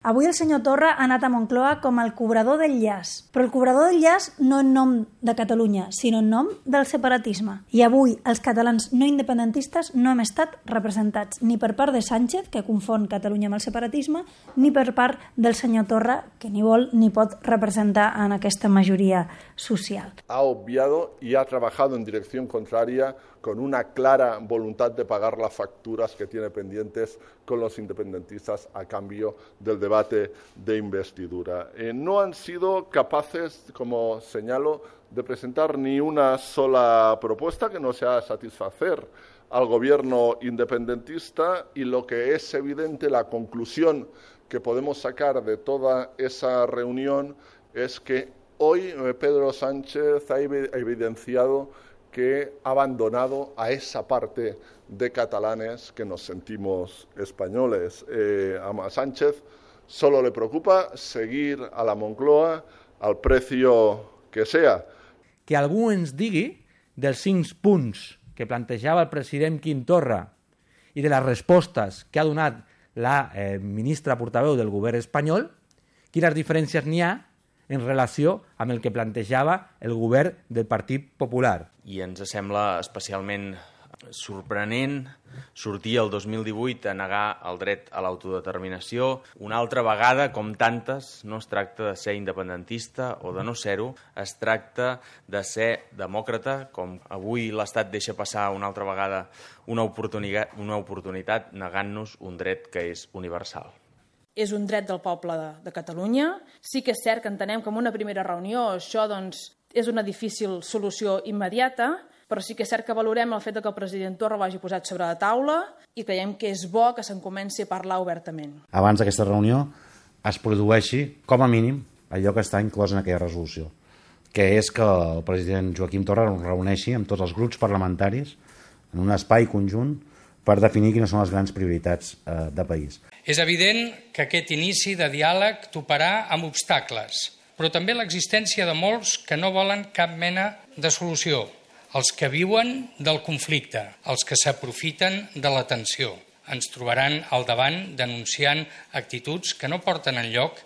Avui el senyor Torra ha anat a Moncloa com el cobrador del llaç, però el cobrador del llaç no en nom de Catalunya, sinó en nom del separatisme. I avui els catalans no independentistes no hem estat representats ni per part de Sánchez, que confon Catalunya amb el separatisme, ni per part del senyor Torra, que ni vol ni pot representar en aquesta majoria social. Ha obviado y ha trabajado en dirección contraria con una clara voluntad de pagar las facturas que tiene pendientes con los independentistas a cambio del debate de investidura. No han sido capaces, como señalo, de presentar ni una sola propuesta que no sea satisfacer al gobierno independentista, y lo que es evidente, la conclusión que podemos sacar de toda esa reunión es que hoy Pedro Sánchez ha evidenciado que ha abandonado a esa parte de catalanes que nos sentimos españoles. A Sánchez solo le preocupa seguir a la Moncloa al precio que sea. Que algú ens digui dels 5 punts que plantejava el president Quim Torra i de les respostes que ha donat la ministra portaveu del govern espanyol, quines diferències n'hi ha en relació amb el que plantejava el govern del Partit Popular. I ens sembla especialment sorprenent sortir el 2018 a negar el dret a l'autodeterminació. Una altra vegada, com tantes, no es tracta de ser independentista o de no ser-ho, es tracta de ser demòcrata, com avui l'Estat deixa passar una altra vegada una oportunitat negant-nos un dret que és universal. És un dret del poble de Catalunya. Sí que és cert que entenem que en una primera reunió això és una difícil solució immediata, però sí que és cert que valorem el fet que el president Torra ho hagi posat sobre la taula i creiem que és bo que se'n comenci a parlar obertament. Abans d'aquesta reunió es produeixi, com a mínim, allò que està inclòs en aquella resolució, que és que el president Joaquim Torra es reuneixi amb tots els grups parlamentaris en un espai conjunt per definir quines són les grans prioritats de país. És evident que aquest inici de diàleg toparà amb obstacles, però també l'existència de molts que no volen cap mena de solució, els que viuen del conflicte, els que s'aprofiten de la tensió. Ens trobaran al davant denunciant actituds que no porten enlloc